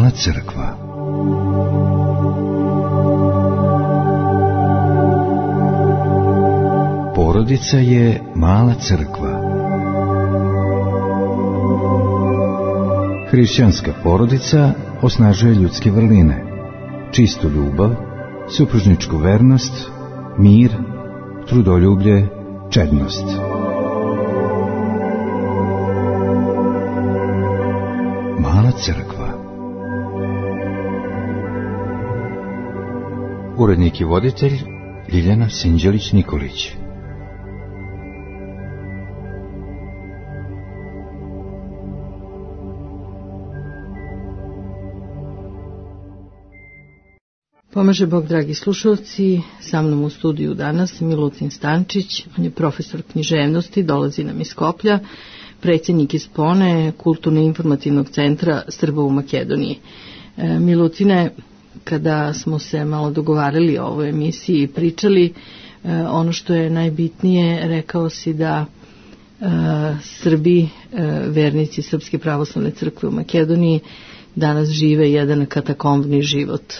Mala crkva. Porodica je mala crkva. Hrišćanska porodica osnažuje ljudske vrline, čistu ljubav, supružničku vernost, mir, trudoljublje, čednost. Mala crkva. Urednik i voditelj Ljiljana Sinđelić-Nikolić. Pomaže Bog, dragi slušalci, sa mnom u studiju danas Milutin Stančić, on je profesor književnosti, dolazi nam iz Skoplja, predsjednik iz Spone, Kulturno-informativnog centra Srba u Makedoniji. Milutine, kada smo se malo dogovarali o ovoj emisiji i pričali, ono što je najbitnije, rekao si da Srbi, vernici Srpske pravoslavne crkve u Makedoniji, danas žive jedan katakombni život.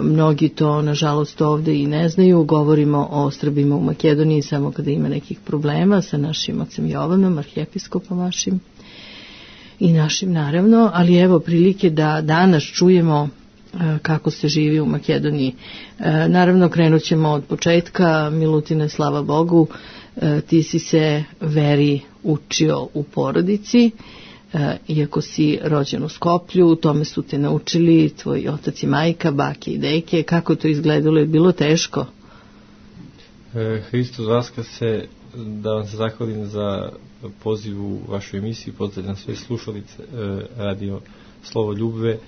Mnogi to, nažalost, ovdje i ne znaju. Govorimo o Srbima u Makedoniji samo kada ima nekih problema sa našim ocem Jovanom, arhijepiskopom vašim i našim, naravno, ali evo prilike da danas čujemo kako se živi u Makedoniji. Naravno, krenut ćemo od početka. Milutine, slava Bogu, ti si se veri učio u porodici, iako si rođen u Skoplju, u tome su te naučili tvoji otac i majka, bake i deke. Kako to izgledalo? Je bilo teško? Hristos vaskrse, da vam se zahvalim za poziv u vašu emisiju, pozdravljam sve slušalice radio Slovo ljubve.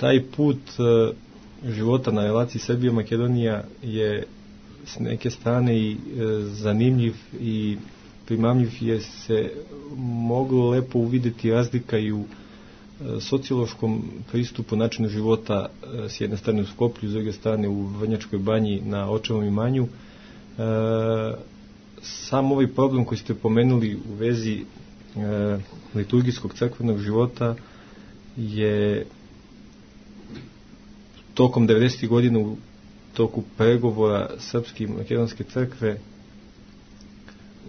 Taj put života na relaciji Srbija-Makedonija je s neke strane i zanimljiv i primamljiv, je se moglo lepo uvidjeti razlika i u sociološkom pristupu načinu života, s jedne strane u Skoplju, s druge strane u Vrnjačkoj banji na očevom imanju. Sam ovaj problem koji ste pomenuli u vezi liturgijskog crkvenog života je tokom 90. godina, u toku pregovora Srpske i Makedonske crkve,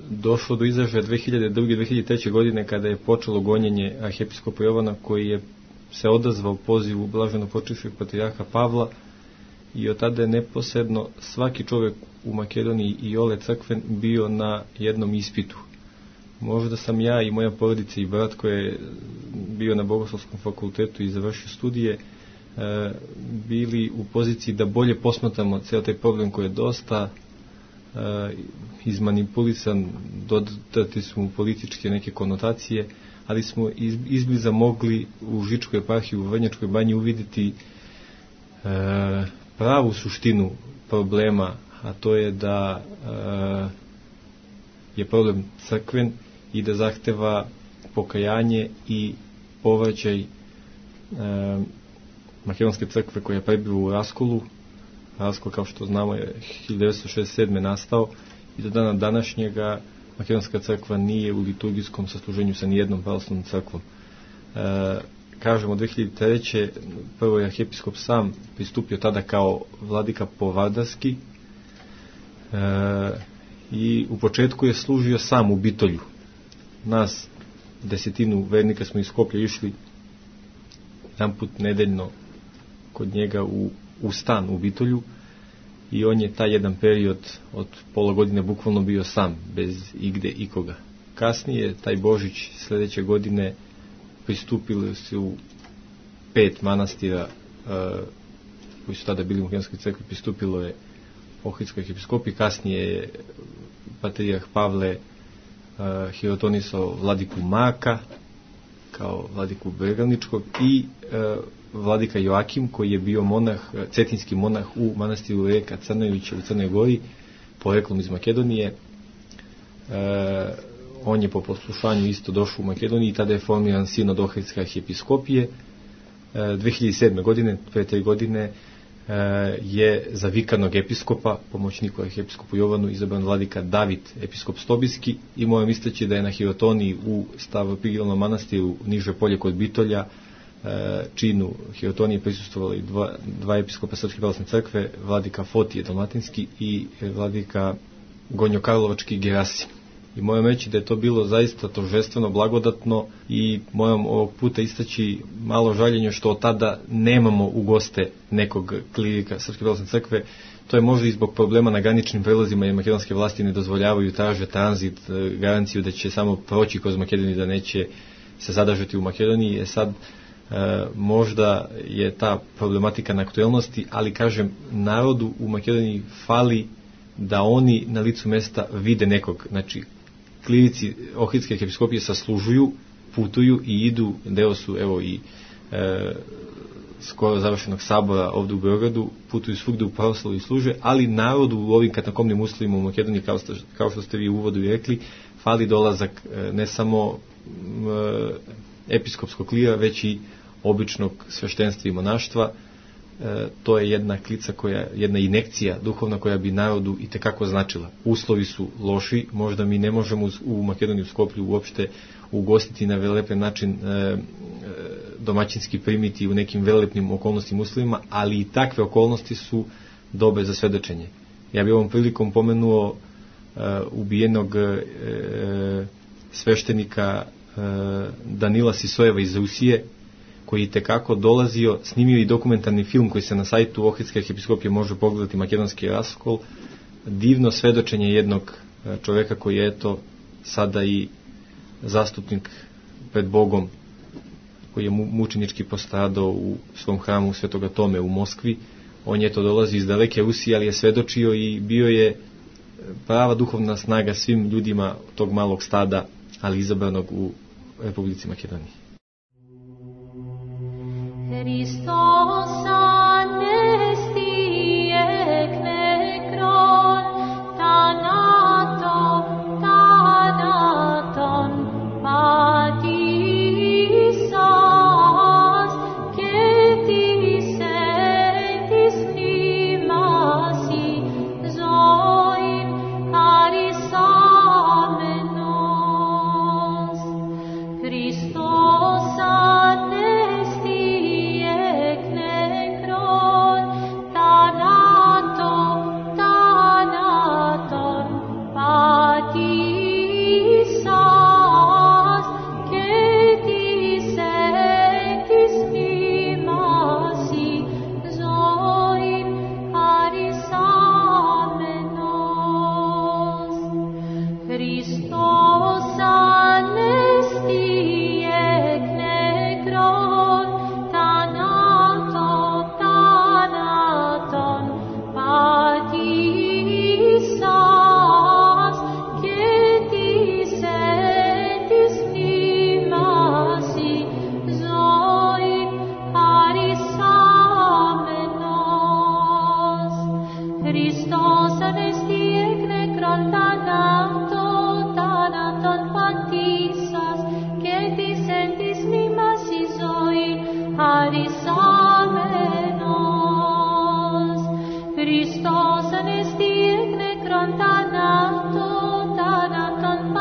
došlo do izražaja 2002-2003. godine, kada je počelo gonjenje arhijepiskopa Jovana, koji je se odazvao pozivu blaženopočivšeg patrijarha Pavla, i od tada je neposredno svaki čovjek u Makedoniji i ole crkven bio na jednom ispitu. Možda sam ja i moja porodica i brat koji je bio na Bogoslovskom fakultetu i završio studije, bili u poziciji da bolje posmatramo cijel taj problem koji je dosta izmanipulisan, dodati su mu političke neke konotacije, ali smo izbliza mogli u Žičkoj eparhiji u Vrnjačkoj banji uvidjeti pravu suštinu problema, a to je da je problem crkven i da zahteva pokajanje i povraćaj Makedonske crkve koja je prebiva u raskolu. Raskol, kao što znamo, je 1967. nastao i do dana današnjega Makedonska crkva nije u liturgijskom sasluženju sa nijednom pravoslavnom crkvom. Kažemo, 2003. prvo je arhijepiskop sam pristupio tada kao vladika Povardarski i u početku je služio sam u Bitolju. Nas, desetinu vernika, smo iz Skoplja išli jedan put nedeljno kod njega u stan u Bitolju, i on je taj jedan period od pola godine bukvalno bio sam, bez igde ikoga. Kasnije, taj Božić sljedeće godine, pristupili su 5 manastira koji su tada bili u Makedonskoj crkvi, pristupilo je Ohridskoj arhijepiskopiji. Kasnije je patrijarh Pavle hirotonisao vladiku Maka kao vladiku Bregalničkog i vladika Joakim, koji je bio monah, cetinski monah u manastiru Reka Crnojevića u Crnoj Gori, poreklom iz Makedonije. On je po poslušanju isto došao u Makedoniji i tada je formiran sinod Ohridske arhijepiskopije. 2007. godine, pre 3 godine, je za vikanog episkopa, pomoćniku arhiepiskopu Jovanu, izabran vladika David, episkop Stobijski, i moram istaći da je na Hirotoniji u Stavropigilnom manastiru Niže polje kod Bitolja činu Hirotonije prisustvovali dva episkopa Srpske pravoslavne crkve, vladika Fotije Dalmatinski i vladika Gonjo Karlovački Gerasim. I moram reći da je to bilo zaista торжествено, blagodatno, i moram ovog puta istaći malo žaljenje što od tada nemamo u goste nekog klirika Srpske pravoslavne crkve. To je možda i zbog problema na graničnim prelazima, jer makedonske vlasti ne dozvoljavaju, traže tranzit, garanciju da će samo proći kroz Makedoniju, da neće se zadržati u Makedoniji. Sad možda je ta problematika na aktuelnosti, ali kažem, narodu u Makedoniji fali da oni na licu mesta vide nekog. Znači, klirici Ohridske arhiepiskopije saslužuju, putuju i idu, deo su evo i skoro završenog sabora ovdje u Beogradu, putuju svugde u pravoslavu i služe, ali narodu u ovim katakomnim uslovima u Makedoniji, kao što ste vi u uvodu i rekli, fali dolazak ne samo episkopskog klira, već i običnog sveštenstva i monaštva. To je jedna klica jedna injekcija duhovna koja bi narodu i tekako značila. Uslovi su loši, možda mi ne možemo u Makedoniji, u Skoplju uopšte ugostiti na velepen način, domaćinski primiti u nekim velelepnim okolnostima, uslovima, ali i takve okolnosti su dobre za svedočenje. Ja bih ovom prilikom pomenuo ubijenog sveštenika Danila Sisojeva iz Rusije, koji je tekako dolazio, snimio i dokumentarni film koji se na sajtu Ohridske arhiepiskopije može pogledati, Makedonski raskol. Divno svedočenje jednog čoveka koji je eto sada i zastupnik pred Bogom, koji je mučenički postradao u svom hramu Svetoga Tome u Moskvi. On je to dolazi iz daleke Rusije, ali je svedočio i bio je prava duhovna snaga svim ljudima tog malog stada, ali izabranog u Republici Makedoniji. Hristos anesti ek nekron, thanaton, patisas, ketis etis nimasi, zoin charisamenos. Hristos anesti ek nekron, thanaton, patisas, ketis etis nimasi, zoin charisamenos. Hristos anesti ek nekron, thanaton, patisas, ketis etis nimasi, zoin charisamenos. Hristos anesti ek nekron, thanaton, patisas, ketis etis nimasi, zoin charisamenos. Hristos anesti ek nekron, thanaton,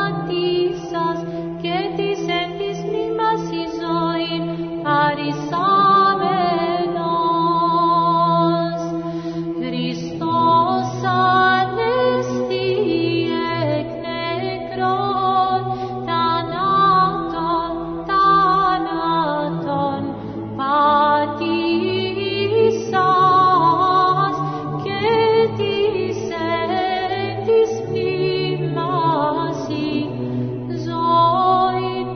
patisas, ketis etis nimasi, zoin charisamenos. Hristos anesti ek nekron, thanaton, patisas, ketis etis nimasi, zoin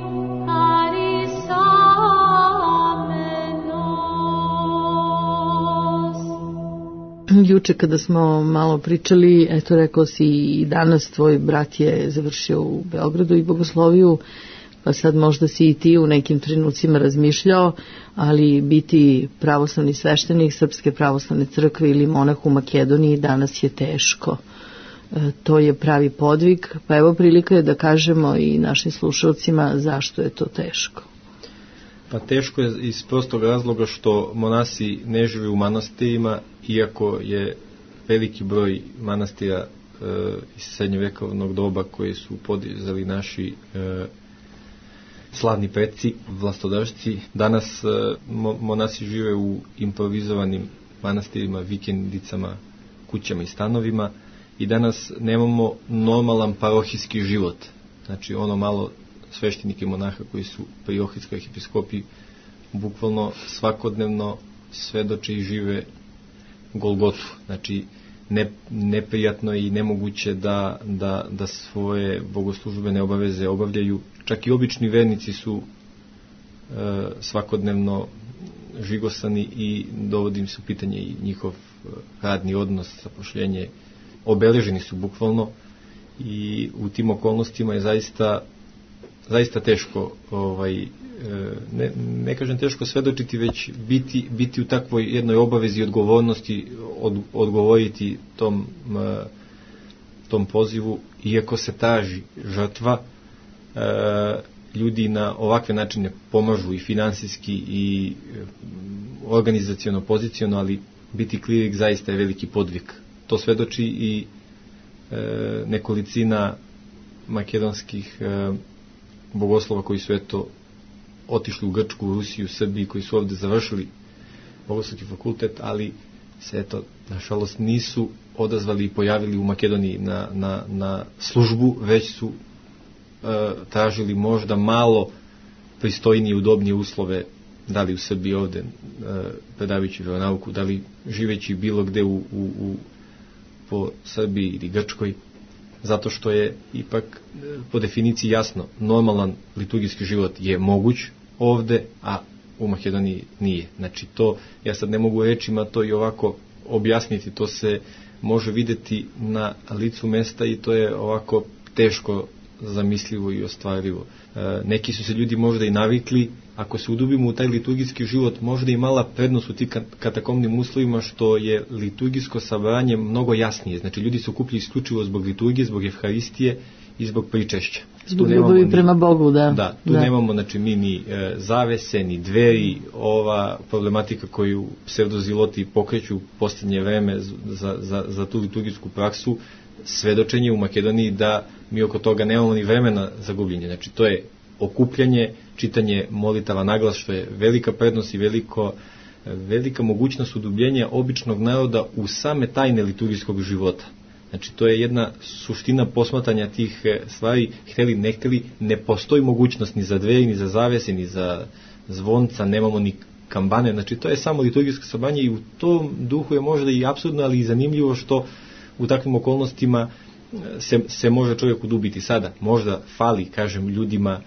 charisamenos. Juče kada smo malo pričali, eto rekao si i danas tvoj brat je završio u Beogradu i bogosloviju, pa sad možda si i ti u nekim trenucima razmišljao, ali biti pravoslavni sveštenik Srpske pravoslavne crkve ili monah u Makedoniji danas je teško. To je pravi podvig, pa evo prilika je da kažemo i našim slušalcima zašto je to teško. Pa teško je iz prostog razloga što monasi ne žive u manastirima, iako je veliki broj manastira iz srednjovjekovnog doba koje su podizali naši slavni preci, vlastodržci. Danas monasi žive u improvizovanim manastirima, vikendicama, kućama i stanovima i danas nemamo normalan parohijski život. Znači ono malo sveštenike monaha koji su pri Ohridskoj arhipiskopiji bukvalno svakodnevno svedoče i žive Golgotu. Znači neprijatno i nemoguće da svoje bogoslužbene obaveze obavljaju. Čak i obični vernici su svakodnevno žigosani i dovodim se u pitanje i njihov radni odnos, zapošljenje, obeleženi su bukvalno i u tim okolnostima je zaista teško ne kažem teško svedočiti, već biti u takvoj jednoj obavezi i odgovornosti, odgovoriti tom pozivu, iako se traži žrtva. Ljudi na ovakve načine pomažu i finansijski i organizaciono, poziciono, ali biti klirik zaista je veliki podvig. To svedoči i nekolicina makedonskih bogoslova koji su otišli u Grčku, u Rusiju, u Srbiji, koji su ovde završili bogoslovski fakultet, ali se nažalost nisu odazvali i pojavili u Makedoniji na službu, već su tražili možda malo pristojnije i udobnije uslove, da li u Srbiji ovde predavajući veronauku, da li živeći bilo gde po Srbiji ili Grčkoj, zato što je ipak po definiciji jasno, normalan liturgijski život je moguć ovde, a u Makedoniji nije. Znači to, ja sad ne mogu rečima to i ovako objasniti, to se može videti na licu mesta i to je ovako teško zamislivo i ostvarivo. Neki su se ljudi možda i navikli, ako se udubimo u taj liturgijski život, možda i mala prednost u tim katakomnim uslovima što je liturgijsko sabranje mnogo jasnije. Znači ljudi se okupljaju isključivo zbog liturgije, zbog evharistije i zbog pričešća. Zbog ljubavi prema Bogu, da. Da, tu nemamo znači mi ni zavese, ni dveri, ova problematika koju pseudoziloti pokreću u posljednje vreme za tu liturgijsku praksu, svedočenje u Makedoniji da mi oko toga nemamo ni vremena za gubljenje. Znači to je okupljanje, čitanje molitava naglas, što je velika prednost i velika mogućnost udubljenja običnog naroda u same tajne liturgijskog života. Znači to je jedna suština posmatanja tih stvari, hteli ne hteli, ne postoji mogućnost ni za dveri, ni za zavese, ni za zvonca, nemamo ni kambane, znači to je samo liturgijsko sabranje i u tom duhu je možda i apsurdno, ali i zanimljivo što u takvim okolnostima se može čovjek udubiti. Sada možda fali, kažem, ljudima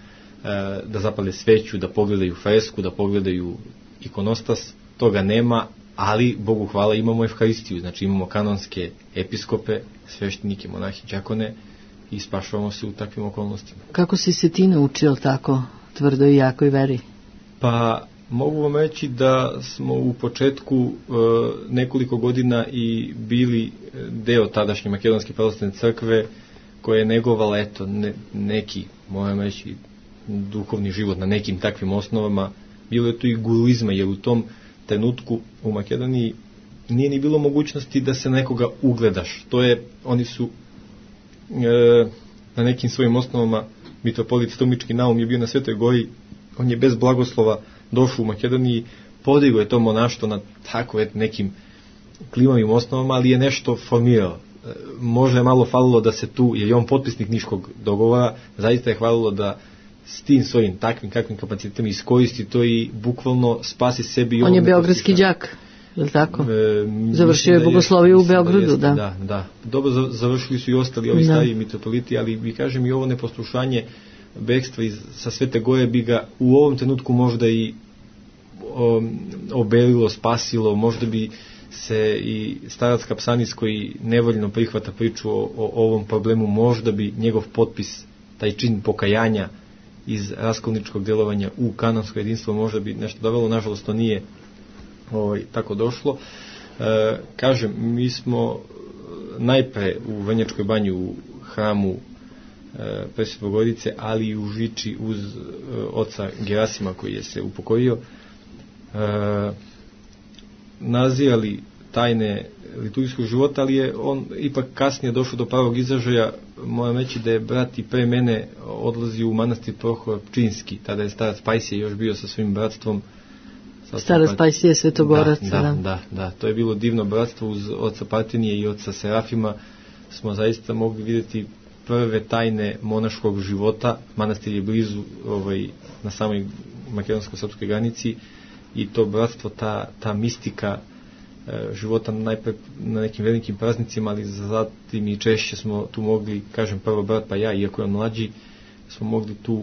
da zapale sveću, da pogledaju fresku, da pogledaju ikonostas, toga nema, ali Bogu hvala imamo evharistiju, znači imamo kanonske episkope, sveštenike, monahi, đakone i spašavamo se u takvim okolnostima. Kako si se ti naučio tako tvrdo i jakoj veri? Pa mogu vam reći da smo u početku nekoliko godina i bili deo tadašnje Makedonske pravoslavne crkve koja je negovala neki, moram reći, duhovni život na nekim takvim osnovama. Bilo je tu i guruizma, jer u tom trenutku u Makedoniji nije ni bilo mogućnosti da se nekoga ugledaš. To je, oni su na nekim svojim osnovama, mitropolit Strumički Naum je bio na Svetoj Gori, on je bez blagoslova došao u Makedoniji, podigao je to monaštvo na tako nekim klimavim osnovama, ali je nešto formirao. Možda je malo falilo da se tu, jer je on potpisnik Niškog dogovora, zaista je hvalilo da s tim svojim takvim kakvim kapacitetima iskoristi to i bukvalno spasi sebi. On je beogradski đak, je li tako? Završio je bogosloviju u Beogradu, da. Da. Dobro završili su i ostali ovi stariji mitropoliti, ali mi kažem i ovo neposlušanje bekstva sa Svete Gore bi ga u ovom trenutku možda i obelilo, spasilo, možda bi se i starac Kapsanis koji nevoljno prihvata priču o ovom problemu, možda bi njegov potpis, taj čin pokajanja iz raskolničkog djelovanja u kanonsko jedinstvo možda bi nešto dovelo, nažalost to nije tako došlo. Kažem, mi smo najpre u Vrnjačkoj banji u hramu Presvete Bogorodice, ali i u Žiči uz oca Gerasima koji je se upokojio, nazirali tajne liturgijskog života, ali je on ipak kasnije došao do pravog izražaja. Moram reći da je brat i pre mene odlazio u manastir Prohor Pčinjski, tada je starac Pajsije još bio sa svojim bratstvom. Starac Pajsije Svetogorac. Da, to je bilo divno bratstvo uz oca Partenije i oca Serafima. Smo zaista mogli vidjeti prve tajne monaškog života. Manastir je blizu na samoj makedonsko-srpskoj granici i to bratstvo, ta mistika života najpre na nekim velikim praznicima, ali zatim i češće smo tu mogli, kažem prvo brat pa ja, iako je on mlađi, smo mogli tu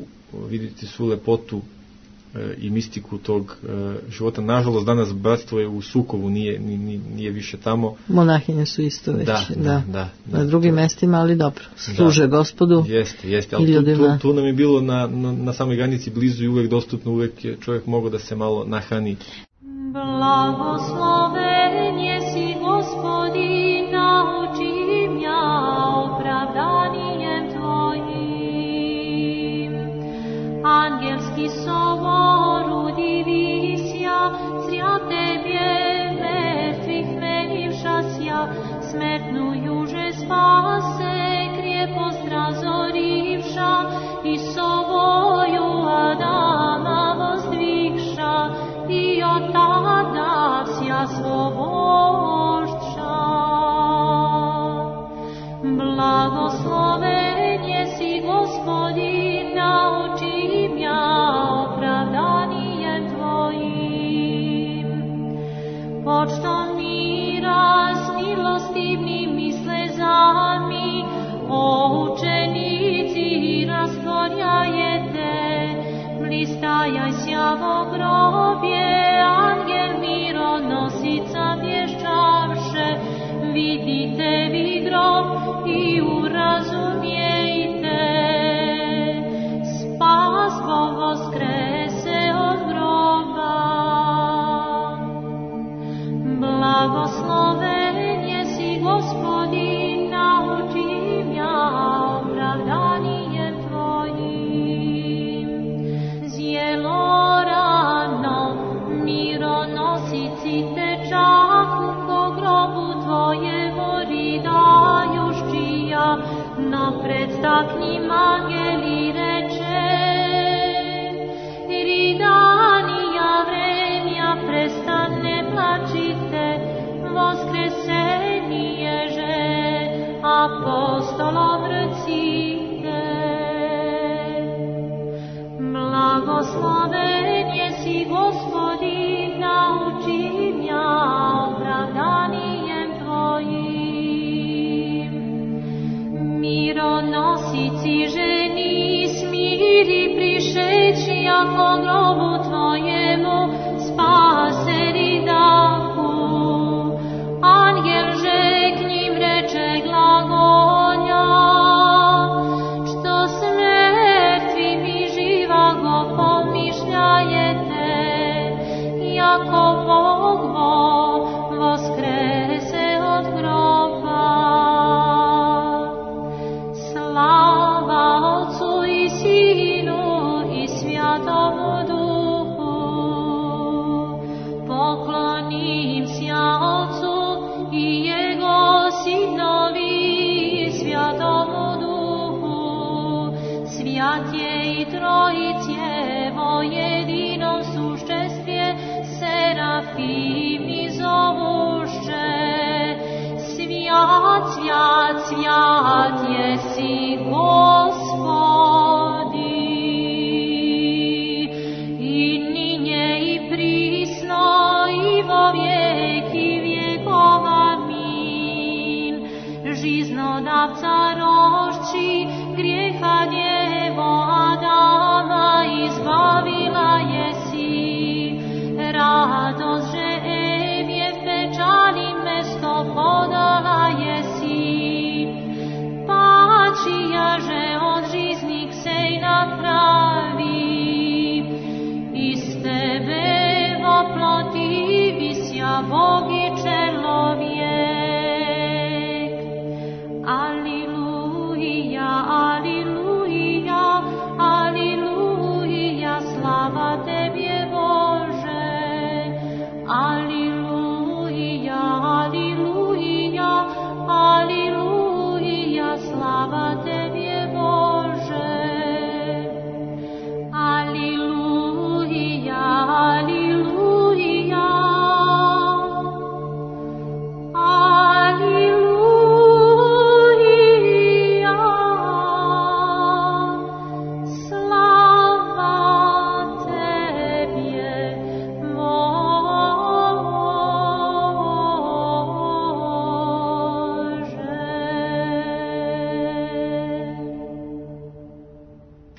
vidjeti svu lepotu i mistiku tog života. Nažalost, danas bratstvo je u Sukovu, nije više tamo. Monahinje su isto već. Da. Na drugim mestima, ali dobro. Služe Gospodu. Jeste. Ali tu nam je bilo na samoj granici blizu i uvek dostupno, uvek je čovjek mogao da se malo nahrani. Blagosloven jesi Gospodin, nauči mja opravdanijem Tvojim. Angelski sobor udivisja, zrja Tebje mrtvih menivšasja, smrtnu juže spase, krijepost razorivša, i soboju Adama vozdvigša, i od tada vsja svobošća. Blagosloven jesi Gospodin, nauči mja opravdanijem Tvojim. Počtom mira s milostivnim i slezami, o učenici rastvorjajete, blistajaj sjavo grobje, angel mironosica vješćavše, vidite vi grob i urazumijete, spas Bog voskrese od groba. Blagosloven jesi Gospodin, nauči mja opravdanijem Tvojim. Zjelorano mironosici tečahu, ko grobu Tvojemu ridajuščija, napred staknim angeli reče, ridanija vremja prestane plačite, voskresenije apostolom recite. Blagosloven jesi Gospodin, nauči mja opravdanijem Tvojim. Mironosici ženi smiri prišeći, ako grobu Tvojemu spaseri dahu. Angel že k njim reče glagolja, što s mrtvimi živago pomišljajete, jako Bog voskrese od groba. Slava Otcu i Sinu i Svjatomu Duhu, poklonim sja Otcu i Jego Sinovi Svjatomu Duhu, svjat je i Trojicevo jedinom sušćestvje, serafimi zovuše, svjat, svjat, svjat jesi Gospodi, i ninje i prisno i vo vijeki vjekov, amin. Žiznodavca rošči, grijeha djevo Adama izbavila jesi, radost že Evje pečali mesto podala jesi, pačija že od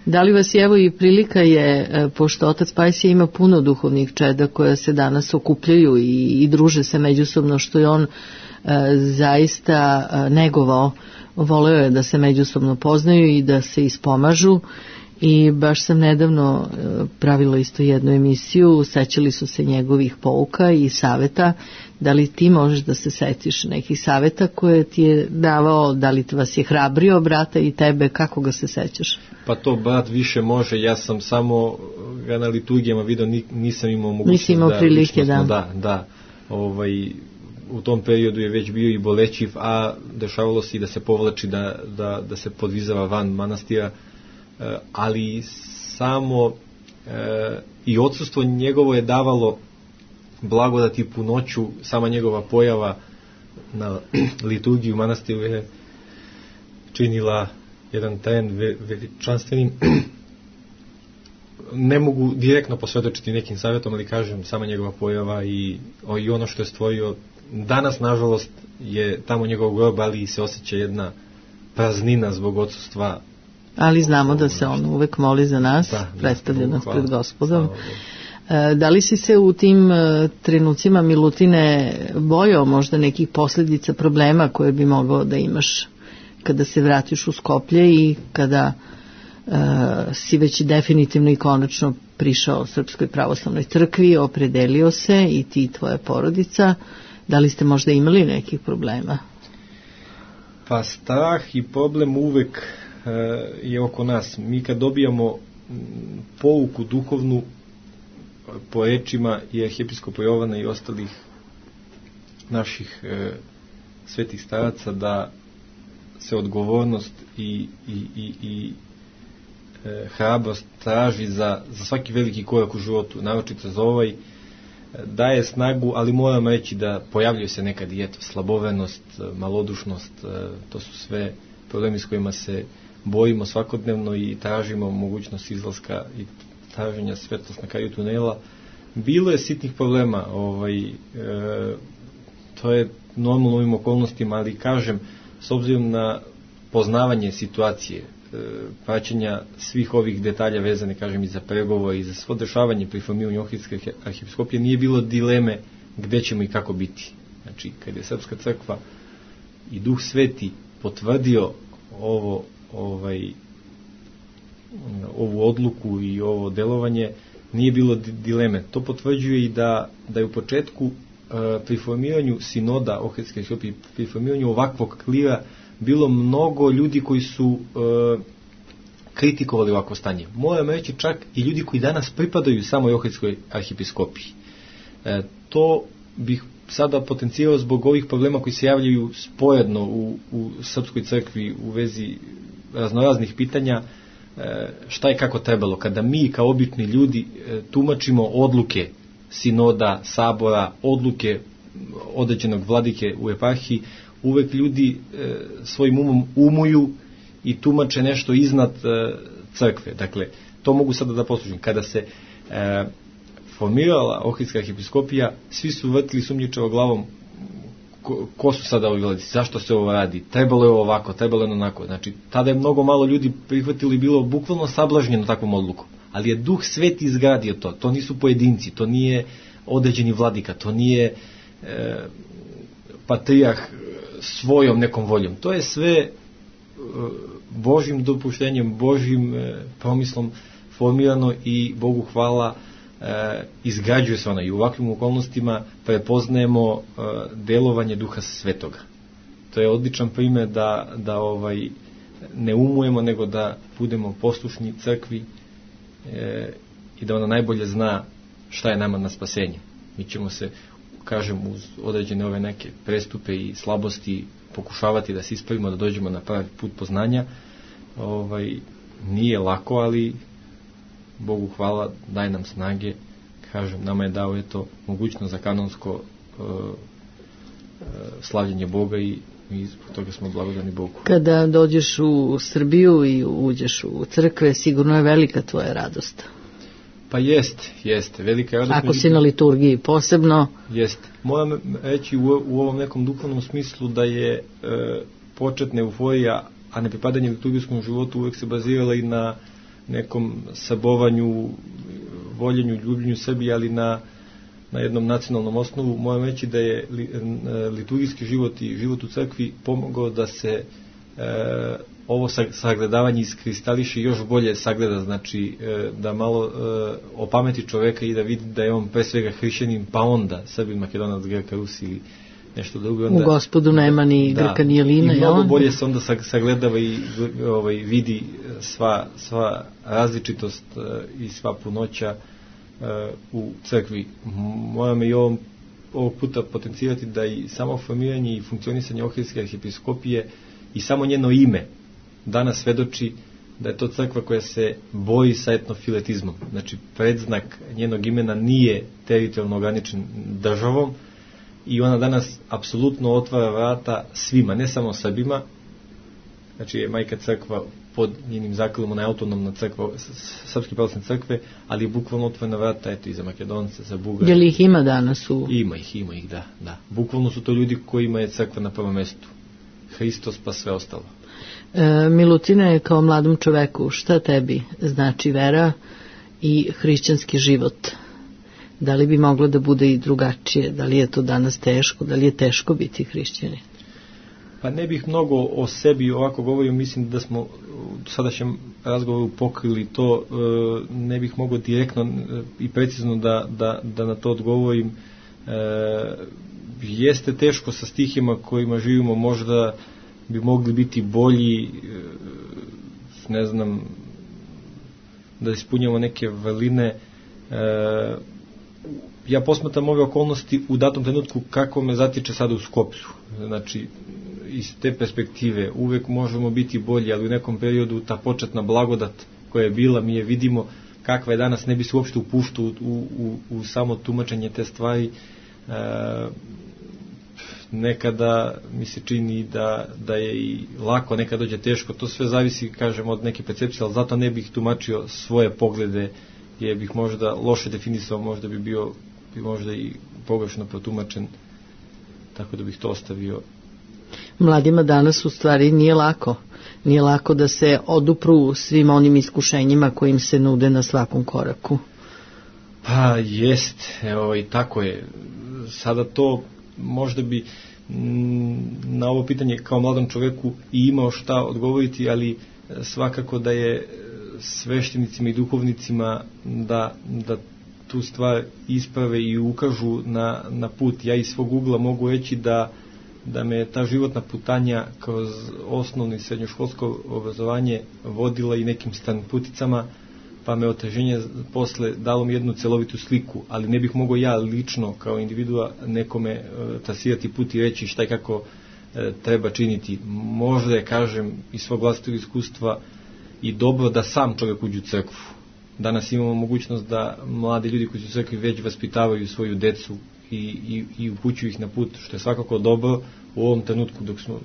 Da li vas evo i prilika je, pošto otac Pajsije ima puno duhovnih čeda koja se danas okupljaju i druže se međusobno, što je on zaista negovao, voleo je da se međusobno poznaju i da se ispomažu, i baš sam nedavno pravila isto jednu emisiju, sećali su se njegovih pouka i saveta. Da li ti možeš da se setiš nekih saveta koje ti je davao, da li vas je hrabrio brata i tebe, kako ga se sećaš? Pa to brat više može, ja sam samo ga na liturgijama vidio, nisam imao mogućnost. Nisi imao prilike, da. U tom periodu je već bio i bolećiv, a dešavalo se i da se povlači, da se podvizava van manastira, ali samo i odsustvo njegovo je davalo blagodat i punoću. Sama njegova pojava na liturgiju manastiru je činila jedan tajan veličanstvenim. Ne mogu direktno posvjedočiti nekim savjetom, ali kažem, sama njegova pojava i ono što je stvorio. Danas, nažalost, je tamo njegov grob, ali se osjeća jedna praznina zbog odsustva. Ali znamo da se on uvek moli za nas, predstavlja nas pred Gospodom. Da li si se u tim trenucima, Milutine, bojao možda nekih posljedica, problema koje bi mogao da imaš kada se vratiš u Skoplje i kada si već definitivno i konačno prišao Srpskoj pravoslavnoj crkvi, opredelio se i ti i tvoja porodica? Da li ste možda imali nekih problema? Pa strah i problem uvek je oko nas. Mi kad dobijamo pouku duhovnu po rečima i arhiepiskopa Jovana i ostalih naših svetih staraca, da se odgovornost i hrabrost traži za svaki veliki korak u životu, naročito za ovaj, daje snagu, ali moram reći da pojavljuje se nekad i slabovenost, malodušnost, to su sve problemi s kojima se bojimo svakodnevno i tražimo mogućnost izlaska i traženja svetlost na kraju tunela. Bilo je sitnih problema, to je normalno u ovim okolnostima, ali kažem, s obzirom na poznavanje situacije, praćenja svih ovih detalja vezane, kažem, i za pregovore i za svo dešavanje pri formiranju Ohridske arhipiskopije, nije bilo dileme gde ćemo i kako biti. Znači, kad je Srpska crkva i Duh Sveti potvrdio ovu odluku i ovo delovanje, nije bilo dileme. To potvrđuje i da je u početku pri formiranju sinoda Ohridske arhipiskopije, pri formiranju ovakvog klira, bilo mnogo ljudi koji su kritikovali ovako stanje. Moram reći čak i ljudi koji danas pripadaju samoj Ohridskoj arhipiskopiji. To bih sada potencijao zbog ovih problema koji se javljaju sporedno u Srpskoj crkvi u vezi raznoraznih pitanja, šta je kako trebalo. Kada mi kao obični ljudi tumačimo odluke sinoda, sabora, odluke određenog vladike u eparhiji, uvek ljudi svojim umom umuju i tumače nešto iznad crkve. Dakle, to mogu sada da poslužim. Kada se formirala Ohridska arhipiskopija, svi su vrtili sumnjičavo glavom ko su sada ovi vladici, zašto se ovo radi, trebalo je ovako, trebalo je onako. Znači, tada je mnogo malo ljudi prihvatili, bilo bukvalno sablažnjeno takvom odlukom. Ali je Duh Sveti izgradio to. To nisu pojedinci, to nije određeni vladika, to nije patrijarh svojom nekom voljom. To je sve Božjim dopuštenjem, Božjim promislom formirano i Bogu hvala izgrađuje se ona. I u ovakvim okolnostima prepoznajemo delovanje Duha Svetoga. To je odličan primjer da ne umujemo, nego da budemo poslušni crkvi i da ona najbolje zna šta je nama na spasenje. Mi ćemo se, kažem, uz određene ove neke prestupe i slabosti pokušavati da se ispravimo, da dođemo na pravi put poznanja. Nije lako, ali Bogu hvala, daj nam snage. Kažem, nama je dao mogućnost za kanonsko slavljenje Boga i zbog toga smo blagodani Bogu. Kada dođeš u Srbiju i uđeš u crkve, sigurno je velika tvoja radost. Pa jeste, velika radost. Ako si na liturgiji posebno. Jeste. Moram reći u ovom nekom duhovnom smislu da je početna euforija, a ne pripadanje liturgijskom životu uvek se bazirala i na nekom sabovanju, voljenju, ljubljenju sebi, ali na jednom nacionalnom osnovu. Moram reći da je liturgijski život i život u crkvi pomogao da se ovo sagledavanje iskristališe i još bolje sagleda, znači da malo opameti čoveka i da vidi da je on pre svega hrišćanin, pa onda Srbin, Makedonac, Grka, Rus ili nešto drugo. Onda, u Gospodu nema ni Grka ni Jelina. I mnogo bolje se onda sagledava i vidi sva različitost i sva punoća u crkvi. Moram i ovog puta potencirati da i samo formiranje i funkcionisanje Ohridske arhijepiskopije i samo njeno ime danas svedoči da je to crkva koja se boji sa etnofiletizmom. Znači, predznak njenog imena nije teritorijalno ograničen državom i ona danas apsolutno otvara vrata svima, ne samo Srbima. Znači, je majka crkva pod njenim zakonom, ona je autonomna crkva, Srpske pravoslavne crkve, ali je bukvalno otvorena vrata, eto, i za Makedonce, za Bugare. Je li ih ima danas u... Ima ih, da. Bukvalno su to ljudi kojima je crkva na prvom mestu. Hristos pa sve ostalo. Milutine, kao mladom čoveku, šta tebi znači vera i hrišćanski život? Da li bi moglo da bude i drugačije? Da li je to danas teško? Da li je teško biti hrišćanin? Pa ne bih mnogo o sebi ovako govorio, mislim da smo u sadašnjem razgovoru pokrili to, ne bih mogao direktno i precizno da na to odgovorim. Jeste teško sa stihima kojima živimo, možda bi mogli biti bolji, ne znam, da ispunjamo neke vrline. Ja posmatram ove okolnosti u datom trenutku kako me zatiče sada u Skoplju. Znači, iz te perspektive uvek možemo biti bolji, ali u nekom periodu ta početna blagodat koja je bila, mi je vidimo kakva je danas, ne bi se uopšte upuštao u samo tumačenje te stvari. Nekada mi se čini da je i lako, nekada dođe teško, to sve zavisi, kažem, od neke percepcije, ali zato ne bih tumačio svoje poglede, jer bih možda loše definisao, možda bi bio možda i pogrešno protumačen, tako da bih to ostavio. Mladima danas u stvari nije lako da se odupru svim onim iskušenjima kojim se nude na svakom koraku. Pa jest, evo i tako je. Sada to možda bi na ovo pitanje kao mladom čoveku i imao šta odgovoriti, ali svakako da je sveštenicima i duhovnicima da tu stvar isprave i ukažu na put. Ja iz svog ugla mogu reći da me ta životna putanja kroz osnovno i srednjoškolsko obrazovanje vodila i nekim puticama, pa me oteženje posle dalo mi jednu celovitu sliku, ali ne bih mogao ja lično kao individua nekome trasirati put i reći šta i kako treba činiti. Možda je, kažem, iz svog vlastitog iskustva i dobro da sam čovjek uđe u crkvu. Danas imamo mogućnost da mladi ljudi koji su u crkvi već vaspitavaju svoju decu i upućuju ih na put, što je svakako dobro u ovom trenutku dok smo...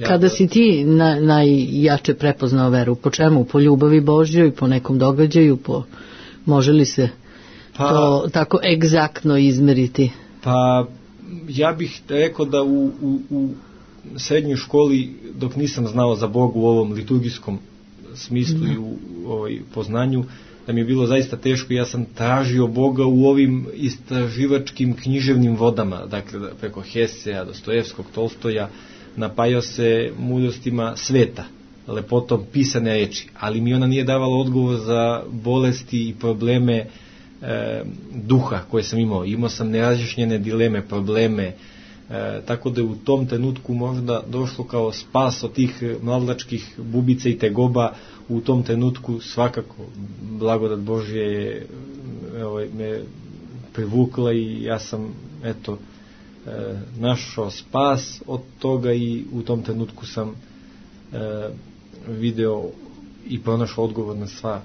Kada si ti najjače prepoznao veru? Po čemu? Po ljubavi Božjoj, po nekom događaju? Može li se to tako egzaktno izmeriti? Pa ja bih rekao da u srednjoj školi, dok nisam znao za Boga u ovom liturgijskom smislu i u poznanju, da mi je bilo zaista teško. Ja sam tražio Boga u ovim istraživačkim književnim vodama, dakle preko Hesea, Dostojevskog, Tolstoja, napajao se mudrostima sveta, lepotom pisane reči, ali mi ona nije davala odgovor za bolesti i probleme duha koje sam imao. Imao sam nerazjašnjene dileme, probleme, tako da je u tom trenutku možda došlo kao spas od tih mladlačkih bubica i tegoba. U tom trenutku svakako blagodat Božje je me privukla i ja sam našao spas od toga i u tom trenutku sam video i pronašao odgovor na sva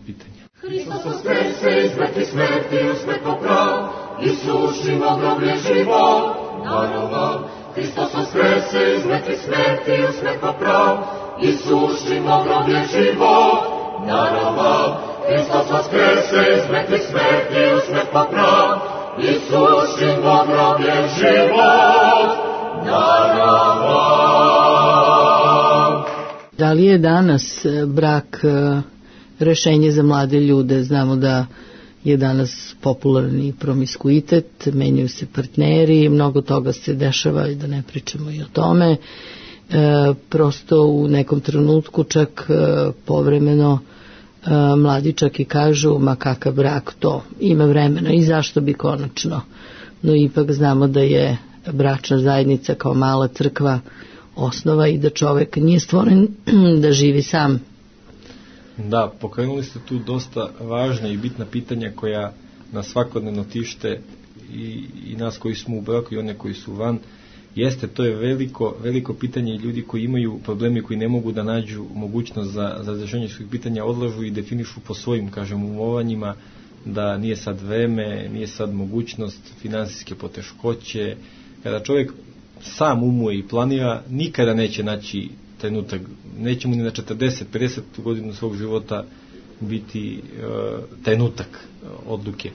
pitanja. Hristos uskrese iz mrtvih smrti, usmrt poprav, Isušimo groblje život daroval. Hristos uskrese iz mrtvih smrti, usmrt poprav, Isušimo groblje život daroval. Hristos uskrese iz mrtvih smrti, usmrt poprav, Isušimo groblje život daroval. Da li je danas brak rešenje za mlade ljude. Znamo da je danas popularni promiskuitet, menjaju se partneri, mnogo toga se dešava i da ne pričamo i o tome. Prosto u nekom trenutku čak povremeno mladi čak i kažu ma kakav brak, to ima vremena i zašto bi konačno. No ipak znamo da je bračna zajednica kao mala crkva osnova i da čovek nije stvoren da živi sam. Da, pokrenuli ste tu dosta važna i bitna pitanja koja nas svakodnevno tište i nas koji smo u braku i one koji su van. Jeste, to je veliko pitanje i ljudi koji imaju problemi, koji ne mogu da nađu mogućnost za razrešenje svojih pitanja, odlažu i definišu po svojim, umovanjima da nije sad vreme, nije sad mogućnost, finansijske poteškoće. Kada čovjek sam umuje i planira, nikada neće naći trenutak, neće mu ni na 40-50 godinu svog života biti trenutak odluke.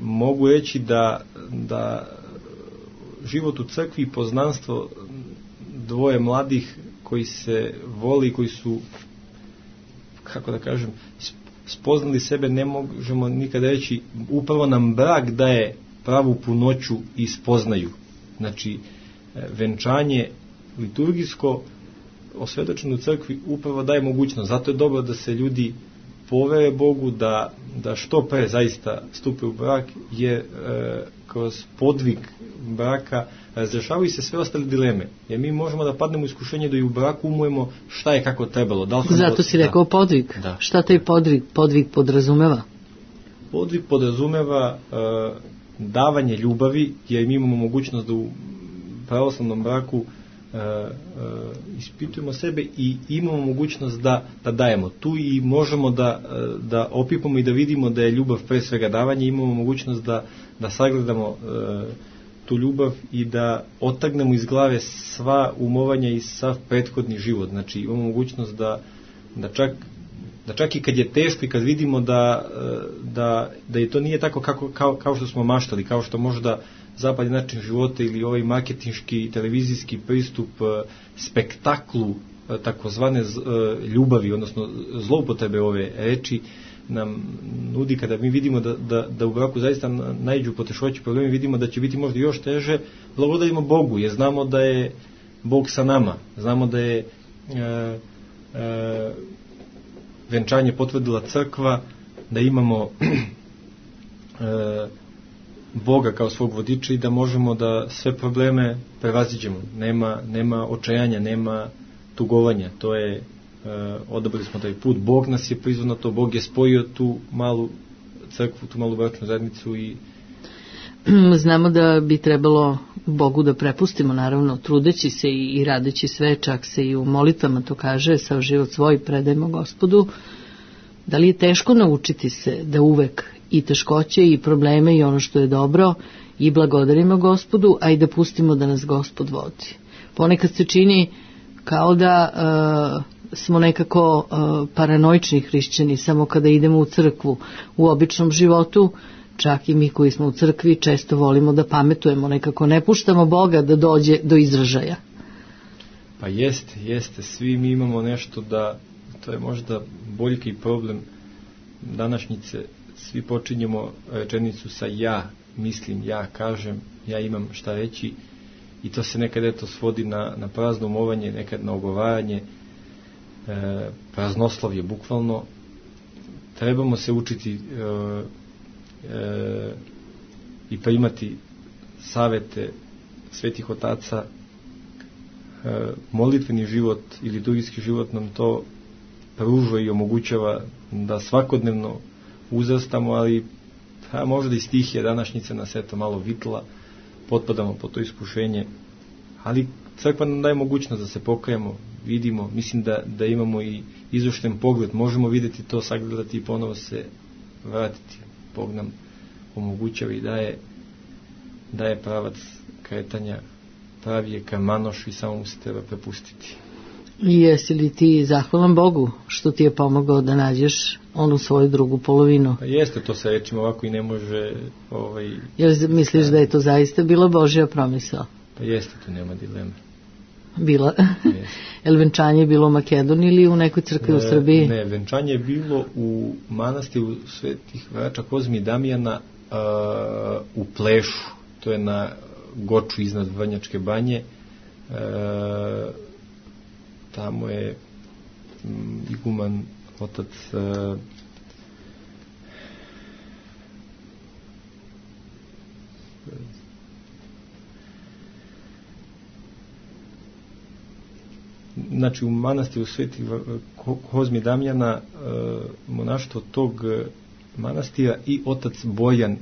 Mogu reći da život u crkvi i poznanstvo dvoje mladih koji se voli, koji su, kako da kažem, spoznali sebe, ne možemo nikada reći, upravo nam brak daje pravu punoću i spoznaju. Znači, venčanje liturgijsko osvedočeno u crkvi upravo daje mogućnost. Zato je dobro da se ljudi povere Bogu, da što pre zaista stupe u brak, jer kroz podvig braka razrešavaju se sve ostale dileme. Jer mi možemo da padnemo u iskušenje da i u braku umujemo šta je kako trebalo. Zato si rekao podvig. Da. Šta taj podvig podrazumeva? Podvig podrazumeva davanje ljubavi, jer mi imamo mogućnost da u pravoslavnom braku ispitujemo sebe i imamo mogućnost da dajemo. Tu i možemo da opipamo i da vidimo da je ljubav pre svega davanje, imamo mogućnost da sagledamo tu ljubav i da otagnemo iz glave sva umovanja i sav prethodni život. Znači imamo mogućnost da čak i kad je teško i kad vidimo da je to nije tako kao što smo maštali, kao što možda zapadni način života ili ovaj marketinški televizijski pristup spektaklu takozvane ljubavi, odnosno zloupotrebe ove reči nam nudi. Kada mi vidimo da u braku zaista naiđu poteškoće, problemi, vidimo da će biti možda još teže, blagodarimo Bogu, jer znamo da je Bog sa nama, znamo da je venčanje potvrdila crkva, da imamo Boga kao svog vodiča i da možemo da sve probleme prevaziđemo. Nema očajanja, nema tugovanja. To je, odabrali smo taj put. Bog nas je prizvao na to, Bog je spojio tu malu crkvu, tu malu bračnu zajednicu i znamo da bi trebalo Bogu da prepustimo, naravno, trudeći se i radeći sve, čak se i u molitvama to kaže, sav život svoj predajmo Gospodu. Da li je teško naučiti se da uvek i teškoće i probleme i ono što je dobro i blagodarimo Gospodu, a i da pustimo da nas Gospod vodi? Ponekad se čini kao da smo nekako paranoični hrišćani samo kada idemo u crkvu. U običnom životu, čak i mi koji smo u crkvi, često volimo da pametujemo, nekako ne puštamo Boga da dođe do izražaja. Pa jeste, svi mi imamo nešto to je možda boljki i problem današnjice, svi počinjemo rečenicu sa ja mislim, ja kažem, ja imam šta reći i to se nekad svodi na prazno umovanje, nekad na ogovaranje, praznoslavlje bukvalno. Trebamo se učiti i primati savete svetih otaca. Molitveni život i liturgijski život nam to pružuje i omogućava da svakodnevno uzrastamo, ali možda i stihije današnjice nas malo vitla, potpadamo po to iskušenje, ali crkva nam daje mogućnost da se pokajemo, vidimo, mislim da imamo i izošten pogled, možemo vidjeti to, sagledati i ponovo se vratiti. Bog nam omogućava i daje pravac kretanja, pravi je kamanoš i samo mu se treba prepustiti. I jesi li ti zahvalan Bogu što ti je pomogao da nađeš onu svoju drugu polovinu? Pa jeste, to se rečimo ovako i ne može... Jel misliš da je to zaista bila Božja promisao? Pa jeste, tu nema dileme. bila. Je venčanje je bilo u Makedoniji ili u nekoj crkvi u Srbiji? Ne, venčanje je bilo u manastiru Svetih Vrača Kozmi i Damijana u Plešu. To je na Goču iznad Vrnjačke banje. Tamo je iguman otac znači u manastiru Sveti Kozmi Damjana monaštvo tog manastira i otac Bojan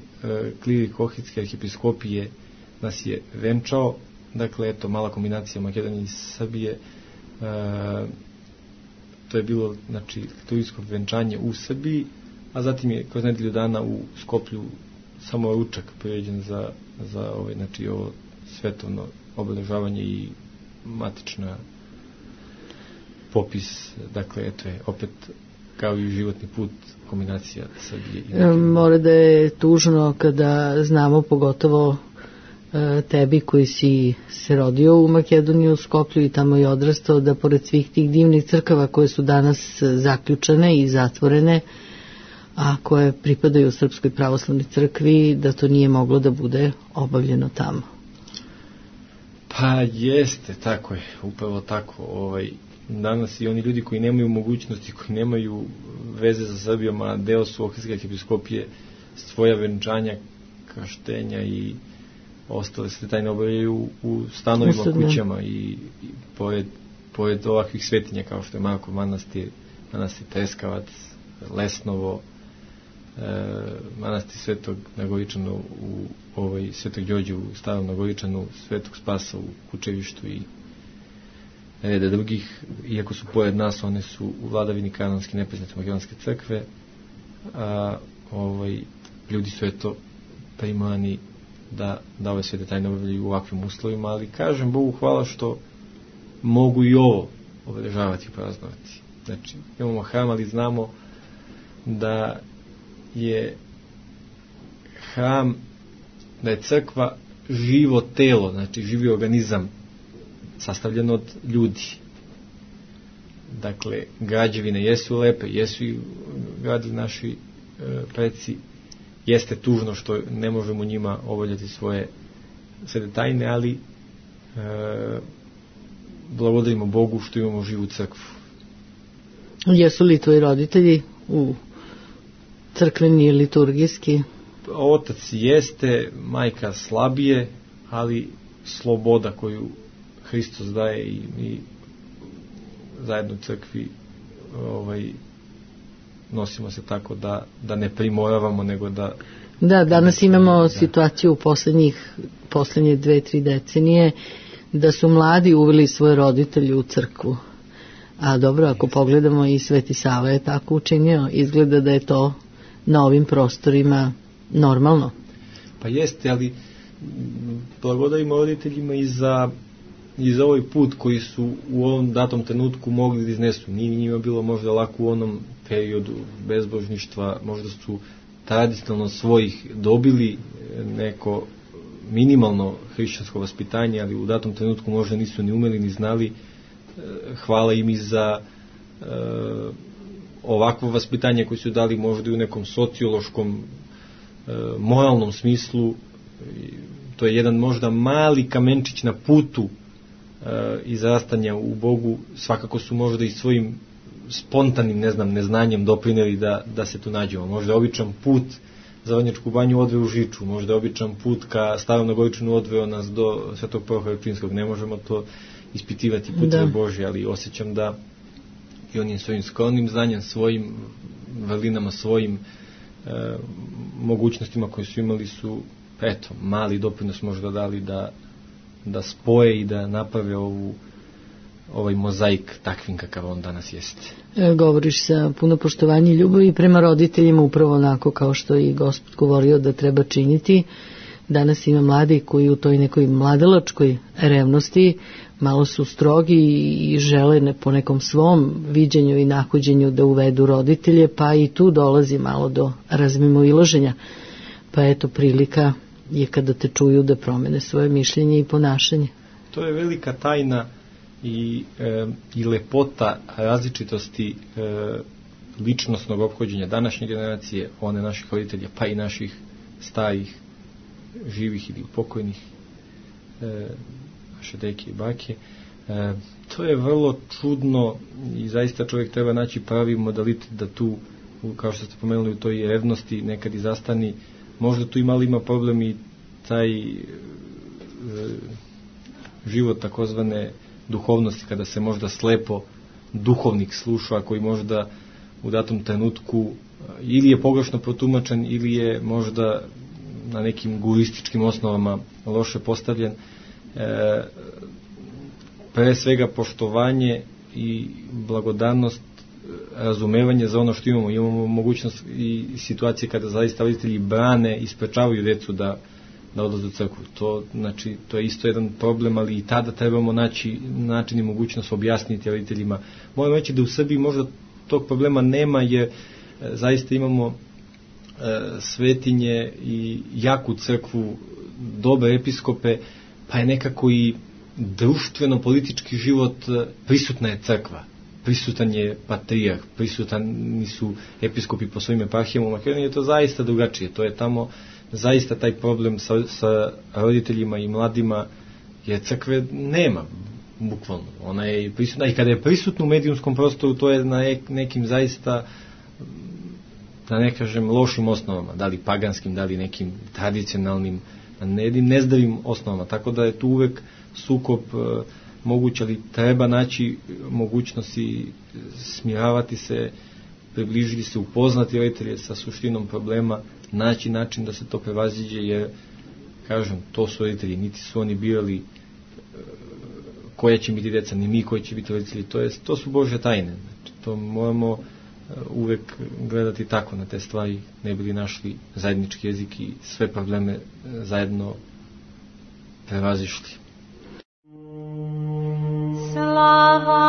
klirik Ohridske arhipiskopije nas je venčao. Dakle, eto, mala kombinacija Makedonije i Srbije. To je bilo, znači, liturgijsko venčanje u Srbiji, a zatim je kroz nedelju dana u Skoplju samo ručak priređen za ovaj, znači, ovo svetovno obeležavanje i matična popis. Dakle, eto je opet kao i životni put kombinacija Srbije i mora da je tužno kada znamo, pogotovo tebi koji si se rodio u Makedoniji, u Skoplju i tamo je odrastao, da pored svih tih divnih crkava koje su danas zaključane i zatvorene, a koje pripadaju Srpskoj pravoslavnoj crkvi, da to nije moglo da bude obavljeno tamo. Pa jeste, tako je, upravo tako. Danas i oni ljudi koji nemaju mogućnosti, koji nemaju veze sa Srbijom, a deo su Ohridske arhipiskopije, svoja venčanja, krštenja i ostale se tajne obavljaju u stanovima, kućama i pored ovakvih svetinja kao što je Markov manastir, manastir Treskavac, Lesnovo, manastir Svetog Nagoričana u Svetog Đorđe u Starom Nagoričanu, Svetog Spasa u Kučevištu i reda drugih. Iako su pored nas, one su u vladavini kanonske nepriznate makedonske crkve, a ljudi su eto primani da ove svete tajne obavljaju u ovakvim uslovima, ali kažem Bogu hvala što mogu i ovo obeležavati i praznovati. Znači, imamo hram, ali znamo da je hram, da je crkva živo telo, znači živi organizam sastavljen od ljudi. Dakle, građevine jesu lepe, jesu i gradili naši preci. Jeste tužno što ne možemo njima obavljati svoje svete tajne, ali blagodarimo Bogu što imamo živu crkvu. Jesu li tvoji roditelji u crkveni i liturgijski? Otac jeste, majka slabije, ali sloboda koju Hristos daje i mi zajedno u crkvi nosimo se tako da ne primoravamo, nego da... Da, danas imamo situaciju u poslednje 2-3 decenije da su mladi uveli svoje roditelje u crkvu. A dobro, ako pogledamo i Sveti Sava je tako učinio, izgleda da je to na ovim prostorima normalno. Pa jeste, ali blagodarimo roditeljima i za ovaj put koji su u ovom datom trenutku mogli da iznesu. Nije njima bilo možda lako u onom periodu bezbožništva, možda su tradicionalno svojih dobili neko minimalno hrišćansko vaspitanje, ali u datom trenutku možda nisu ni umeli ni znali. Hvala im i za ovakvo vaspitanje koje su dali možda i u nekom sociološkom, moralnom smislu. To je jedan možda mali kamenčić na putu izrastanja u Bogu. Svakako su možda i svojim spontanim, neznanjem doprineli da se tu nađemo. Možda običan put za Vrnjačku banju odveo u Žiču, možda običan put ka Starom Nagoričanu odveo nas do Svetog Prohora Pčinskog. Ne možemo to ispitivati puteve Božje, ali osjećam da i onim svojim skromnim znanjem, svojim vrlinama, svojim mogućnostima koje su imali su, eto, mali doprinos možda dali da spoje i da naprave ovaj mozaik takvim kakav on danas jeste. Govoriš sa puno poštovanja i ljubavi prema roditeljima, upravo onako kao što i Gospod govorio da treba činiti. Danas ima mladi koji u toj nekoj mladalačkoj revnosti malo su strogi i žele po nekom svom viđenju i nahođenju da uvedu roditelje, pa i tu dolazi malo do razmimoilaženja. Pa eto, prilika je kada te čuju da promene svoje mišljenje i ponašanje. To je velika tajna i lepota različitosti ličnosnog ophođenja današnje generacije, one naših roditelja, pa i naših starih, živih ili pokojnih, naše deke i bake. To je vrlo čudno i zaista čovjek treba naći pravi modalitet da tu, kao što ste pomenuli, u toj revnosti nekad i zastani. Možda tu ima problem i taj život takozvane duhovnosti, kada se možda slepo duhovnik sluša, koji možda u datom trenutku ili je pogrešno protumačen ili je možda na nekim gurističkim osnovama loše postavljen. Pre svega poštovanje i blagodarnost, razumevanje za ono što imamo mogućnost i situacije kada zaista roditelji brane i sprečavaju decu da odlaze u crkvu. To je isto jedan problem, ali i tada trebamo naći način i mogućnost objasniti roditeljima. Moram reći da u Srbiji možda tog problema nema, jer zaista imamo svetinje i jaku crkvu, dobre episkope, pa je nekako i društveno-politički život, prisutna je crkva, prisutan je patrijarh, prisutani su episkopi po svojim eparhijama. U Makedoniji je to zaista drugačije, to je tamo zaista taj problem sa roditeljima i mladima, jer crkve nema, bukvalno. Ona je prisutna i kada je prisutna u medijumskom prostoru, to je na nekim zaista, da ne kažem, lošim osnovama, da li paganskim, da li nekim tradicionalnim, nezdravim osnovama, tako da je tu uvek sukob moguć, ali treba naći mogućnosti, smiravati se, približiti se, upoznati roditelje sa suštinom problema, naći način da se to prevaziđe, jer, kažem, to su roditelji, niti su oni birali koja će biti deca, ni mi koji će biti roditelji, to su Božje tajne. Znači, to moramo uvek gledati tako na te stvari, ne bi li našli zajednički jezik i sve probleme zajedno prevazišli. Slava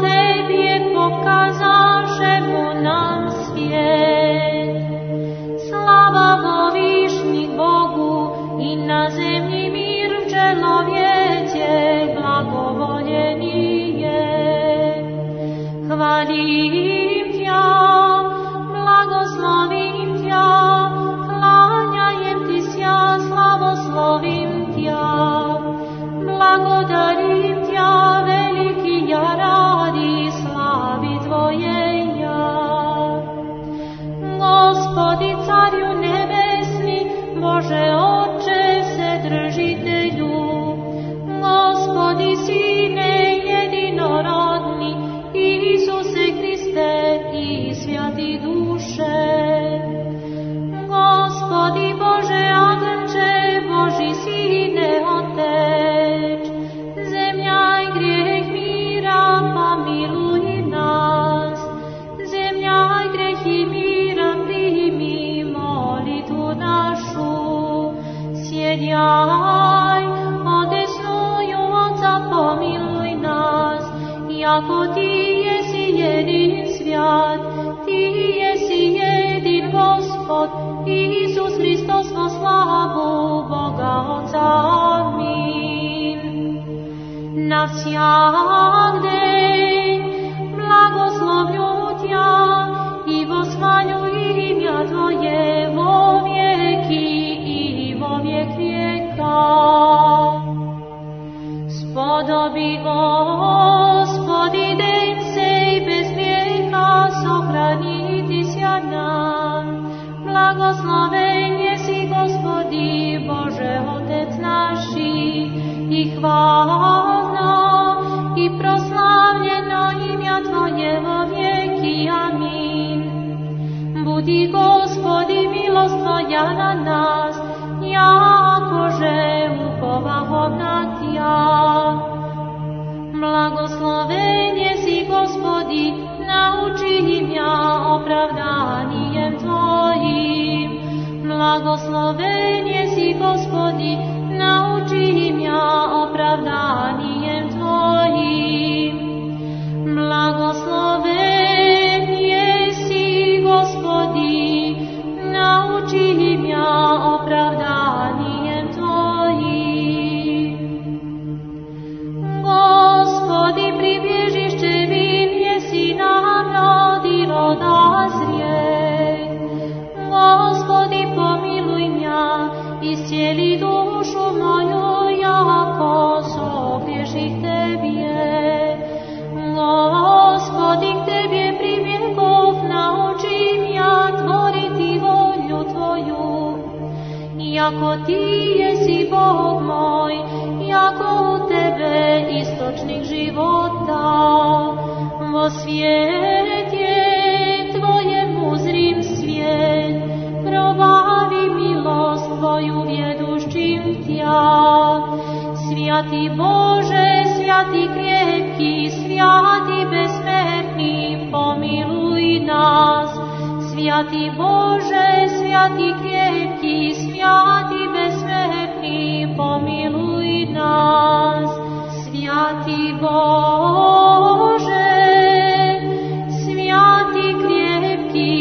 Tebi pokazašemu nam svijet, slava Bovišni Bogu i na zemlji mir čelovjeće blagovoljeni je. Hvalim Tja, blagoslovim Tja, klanjajem Ti sja, slavoslovim Tja. Благодарим Тя, велики я ради слави Твоей я. Господи, Царю небесни, Боже Отче, Вседržitelju, Господи, Sine jedinorodni, Isuse Hriste i svjati duše. Gospodi Bože Agnče, Boži Sine Otec, zemlja i grijeh mira, pomiluj nas. Zemlja i grijeh i mira, primi molitvu našu. Sjedjaj, odesnuju Otca, pomiluj nas. Jako Ti jesi jedin svjat, Ti jesi jedin Gospod, Isus Hristos, vo slavu Boga Otca. Amin. Na всяк день благословлю Тя и восхвалю имя Твое во веки и во век века. Сподоби, Господи, день сей без греха сохранити ся нам. Благословен еси, Господи, Боже Отец наши, и хвално, и прославljeno имя Твое во веки. Амин. Буди, Господи, милост Твоя на нас, якоже уповахом на Тя. Благословен еси, Господи, научи меня оправданием Твоим. Благословен еси, Господи, научи меня оправданием Твоим. Благословен еси, Господи, научи меня оправданием Твоим. jako ti jesi Bog moj, jako u tebe istočnik života. Vo svijet je tvoje uzrim svijet, probavi milost tvoju vjedušćim tja. Svjati Bože, svjati krepki, svjati besmrtni, pomiluj nas. Svjati Bože, svjati krepki, svjati besmrtni, pomiluj nas. Svjati Bože, svjati krepki,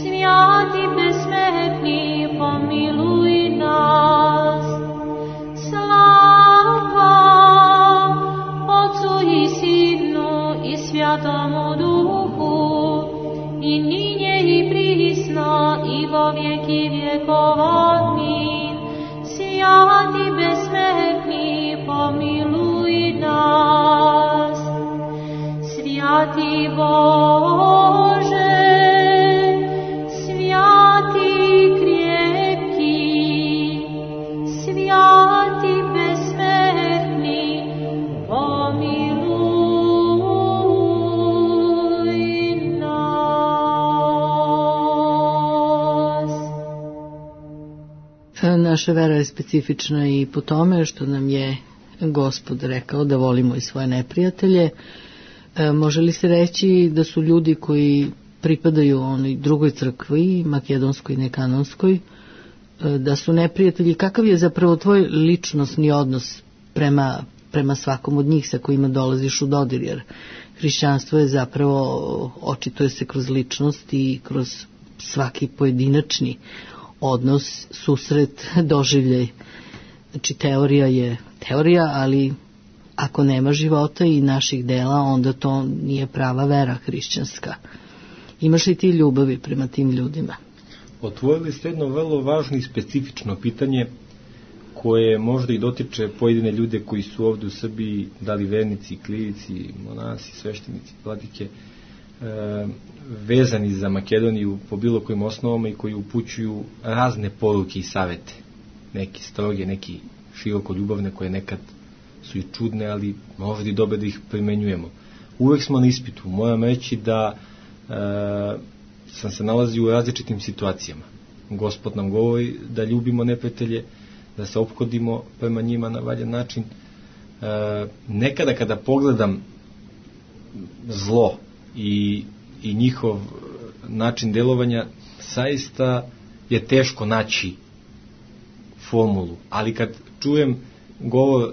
svjati besmrtni, pomiluj nas. Slava Otcu i Sinu i Svjatomu Duhu, i ninje i prisno i vo vjeki vjekova. Amin. Svjati besmrtni, pomiluj nas. Svjati Bože, svjati krepki, svjati besmrtni, pomiluj nas. Naša vera je specifična i po tome što nam je Gospod rekao da volimo i svoje neprijatelje. Može li se reći da su ljudi koji pripadaju onoj drugoj crkvi, makedonskoj i nekanonskoj, da su neprijatelji? Kakav je zapravo tvoj ličnosni odnos prema svakom od njih sa kojima dolaziš u dodir? Jer hrišćanstvo je zapravo, očituje se kroz ličnost i kroz svaki pojedinačni odnos, susret, doživljaj. Znači teorija je teorija, ali ako nema života i naših dela, onda to nije prava vera hrišćanska. Imaš li ti ljubavi prema tim ljudima? Otvorili ste jedno vrlo važno i specifično pitanje koje možda i dotiče pojedine ljude koji su ovdje u Srbiji, da li vernici, klirici, monasi, sveštenici, vladike, vezani za Makedoniju po bilo kojim osnovama i koji upućuju razne poruke i savete. Neki stroge, neki široko ljubavne, koje nekad su i čudne, ali možda i dobre da ih primenjujemo. Uvek smo na ispitu. Moram reći da sam se nalazio u različitim situacijama. Gospod nam govori da ljubimo neprijatelje, da se ophodimo prema njima na valjan način. Nekada kada pogledam zlo i njihov način delovanja, zaista je teško naći formulu, ali kad čujem govor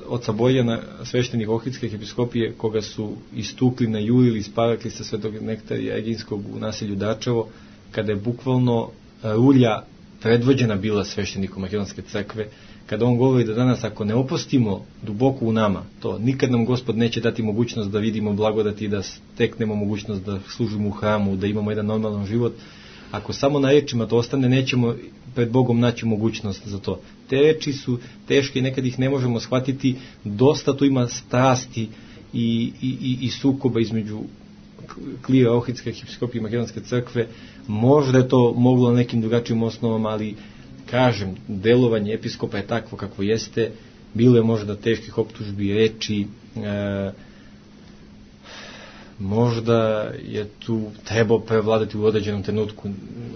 oca Bojana, sveštenik Ohridske episkopije, koga su istukli, najurili, isparakli sa Svetog Nektarija Eginskog u naselju Dačevo, kada je bukvalno rulja predvođena bila sveštenikom Makedonske crkve, kada on govori da danas ako ne opustimo duboko u nama to, nikad nam Gospod neće dati mogućnost da vidimo blagodati, da steknemo mogućnost da služimo u hramu, da imamo jedan normalan život. Ako samo na rečima to ostane, nećemo pred Bogom naći mogućnost za to. Te reči su teške i nekad ih ne možemo shvatiti. Dosta tu ima strasti i sukoba između klira Ohridske episkopije i Makedonske crkve. Možda je to moglo na nekim drugačijim osnovama, ali kažem, delovanje episkopa je takvo kakvo jeste. Bilo je možda teških optužbi, reči, možda je tu trebao prevladati u određenom trenutku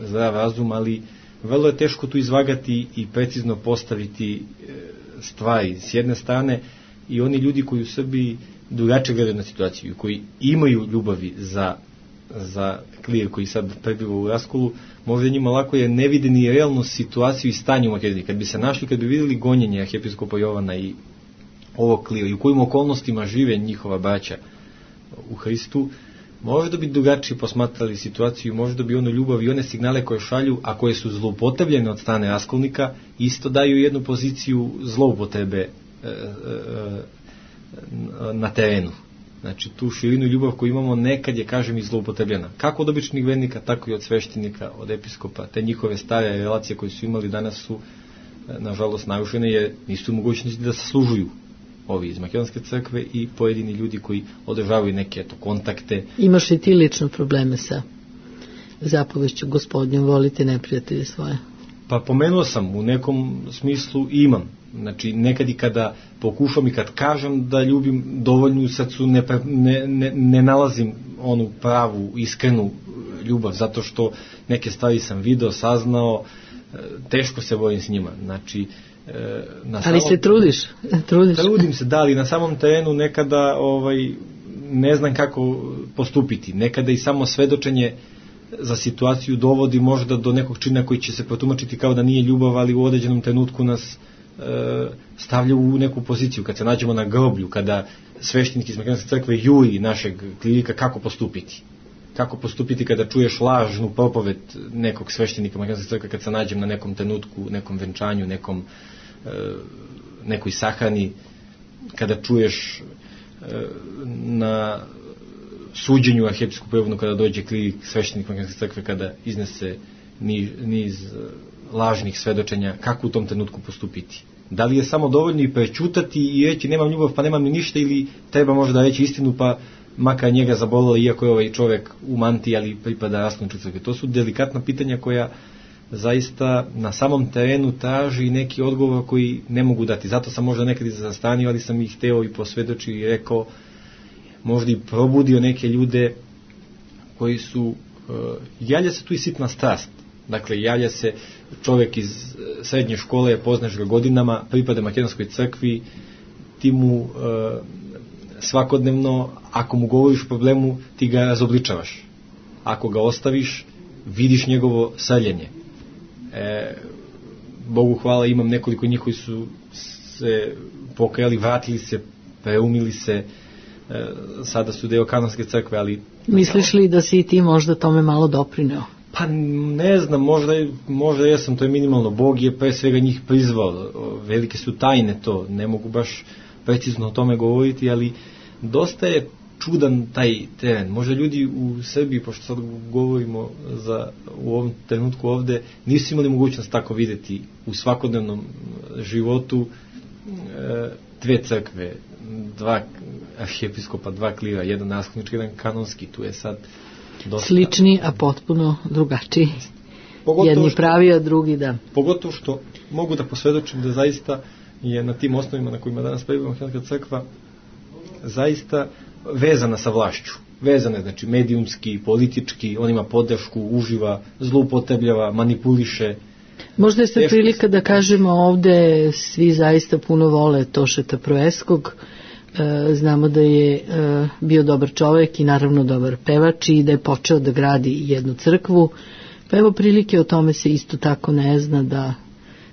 zdrav razum, ali vrlo je teško tu izvagati i precizno postaviti stvari. S jedne strane, i oni ljudi koji u Srbiji drugačije gledaju na situaciju, koji imaju ljubavi za klir koji sad prebiva u raskolu, možda njima lako je ne vide ni realnu situaciju i stanje u Makedoniji. Kad bi se našli, kad bi vidjeli gonjenje arhijepiskopa Jovana i ovog klira i u kojim okolnostima žive njihova braća u Hristu, možda bi drugačije posmatrali situaciju, možda bi ono ljubav i one signale koje šalju, a koje su zloupotrebljene od strane raskolnika, isto daju jednu poziciju zloupotrebe na terenu. Znači, tu širinu i ljubav koju imamo nekad je, kažem, i zloupotrebljena. Kako od običnih vernika, tako i od sveštenika, od episkopa. Te njihove stare relacije koje su imali danas su, nažalost, narušene, jer nisu mogućnosti da se služuju ovi iz Makedonske crkve i pojedini ljudi koji održavaju neke kontakte. Imaš i ti lično probleme sa zapovešću Gospodnjom, volite neprijatelje svoje? Pa pomenuo sam, u nekom smislu imam. Znači, nekad i kada pokušam i kad kažem da ljubim, dovoljno u srcu ne nalazim onu pravu, iskrenu ljubav, zato što neke stvari sam video, saznao, teško se borim s njima. Znači, ali se trudiš? Trudim se, da, ali na samom terenu nekada ne znam kako postupiti. Nekada i samo svedočenje za situaciju dovodi možda do nekog čina koji će se protumačiti kao da nije ljubav, ali u određenom trenutku nas stavlja u neku poziciju. Kad se nađemo na groblju, kada sveštenik iz Makedonske crkve juri našeg klerika, kako postupiti? Kako postupiti kada čuješ lažnu propoved nekog sveštenika Makedonske crkve, kad se nađem na nekom trenutku, nekom venčanju, nekoj sahrani, kada čuješ na suđenju arhiepiskopu Jovanu, kada dođe klerik, sveštenik Makedonske crkve, kada iznese niz lažnih svedočenja, kako u tom trenutku postupiti? Da li je samo dovoljno i prećutati i reći nemam ljubav pa nemam ni ništa, ili treba možda reći istinu pa makar njega zabolilo, iako je ovaj čovjek u mantiji, ali pripada raskoličnoj crkvi? To su delikatna pitanja koja zaista na samom terenu traži neki odgovor koji ne mogu dati. Zato sam možda nekad i zastanio, ali sam ih hteo i posvjedočio i rekao, možda i probudio neke ljude koji su, javlja se tu i sitna strast. Dakle, javlja se čovjek iz srednje škole, poznaš ga godinama, pripada Makedonskoj crkvi, ti mu svakodnevno, ako mu govoriš o problemu, ti ga razobličavaš. Ako ga ostaviš, vidiš njegovo srljenje. Bogu hvala, imam nekoliko njih koji su se pokajali, vratili se, preumili se, sada su deo Kanonske crkve, ali... Misliš li da si i ti možda tome malo doprineo? Pa ne znam, možda jesam, to je minimalno. Bog je pre svega njih prizvao, velike su tajne to, ne mogu baš precizno o tome govoriti, ali dosta je čudan taj teren. Možda ljudi u Srbiji, pošto sad govorimo u ovom trenutku ovde, nisu imali mogućnost tako videti u svakodnevnom životu dve crkve, dva arhiepiskopa, dva klira, jedan naslednički, jedan kanonski, tu je sad dosta... Slični, a potpuno drugačiji. Jedni pravi, a drugi da. Pogotovo što mogu da posvjedočim da zaista je na tim osnovima na kojima danas prebiva Makedonska crkva zaista vezana sa vlašću. Vezana, znači medijumski, politički, on ima podršku, uživa, zloupotrebljava, manipuliše. Možda je sad prilika da kažemo ovde svi zaista puno vole Tošeta Proeskog. Znamo da je bio dobar čovjek i naravno dobar pevač i da je počeo da gradi jednu crkvu. Pa evo prilike, o tome se isto tako ne zna, da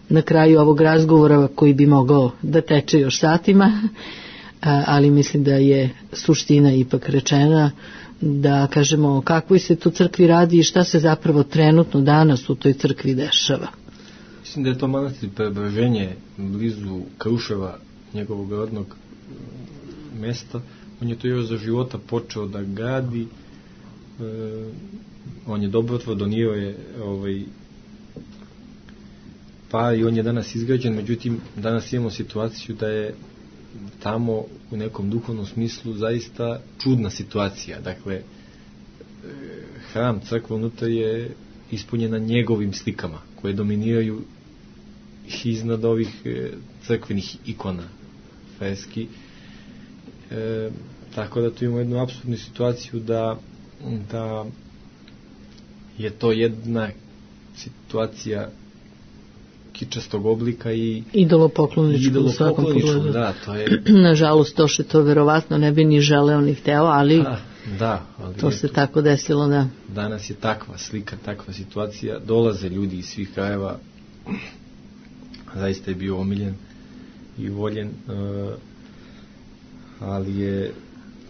na kraju ovog razgovora koji bi mogao da teče još satima, ali mislim da je suština ipak rečena, da kažemo o kakvoj se tu crkvi radi i šta se zapravo trenutno danas u toj crkvi dešava. Mislim da je to manastir Preobraženje blizu Kruševa, njegovog rodnog mesta. On je to još za života počeo da gradi, on je dobrotvor, donio je par i on je danas izgrađen. Međutim, danas imamo situaciju da je tamo u nekom duhovnom smislu zaista čudna situacija. Dakle, hram, crkva unutra je ispunjena njegovim slikama koje dominiraju iznad ovih crkvenih ikona, freski. Tako da tu imamo jednu apsurdnu situaciju da je to jedna situacija kičastog oblika i idolopokloničku u svakom pogledu. Da, to je... Nažalost, to što to verovatno ne bi ni želeo ni hteo, ali to se tako desilo, da. Danas je takva slika, takva situacija, dolaze ljudi iz svih krajeva, zaista je bio omiljen i voljen, ali je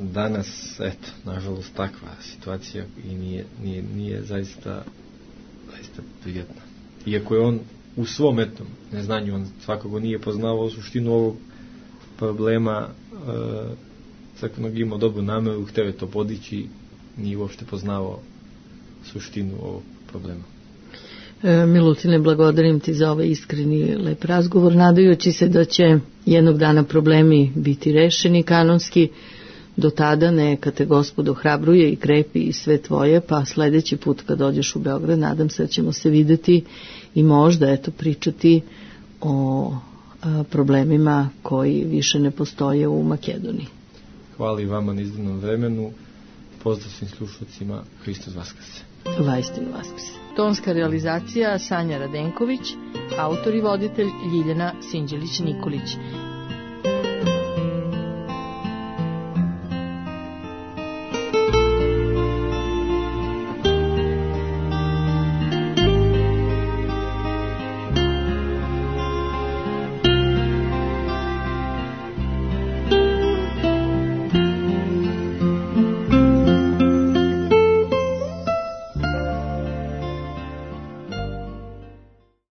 danas, eto, nažalost, takva situacija i nije zaista prijatna. Iako je on u svom etnom neznanju, on svakako nije poznavao suštinu ovog problema crkvenog, imao dobru nameru, hteo je to podići, nije uopšte poznavao suštinu ovog problema. Milutine, blagodarim ti za ovaj iskreni lep razgovor, nadajući se da će jednog dana problemi biti rešeni kanonski, Do tada neka te Gospod ohrabruje i krepi i sve tvoje, pa sledeći put kad dođeš u Beograd, nadam se da ćemo se videti i možda pričati o problemima koji više ne postoje u Makedoniji. Hvala i vama na izdanom vremenu. Pozdrav svim slušalcima. Hristos Vaskrse. Vaistinu Vaskrse. Tonska realizacija Sanja Radenković, autor i voditelj Ljiljana Sinđelić-Nikolić.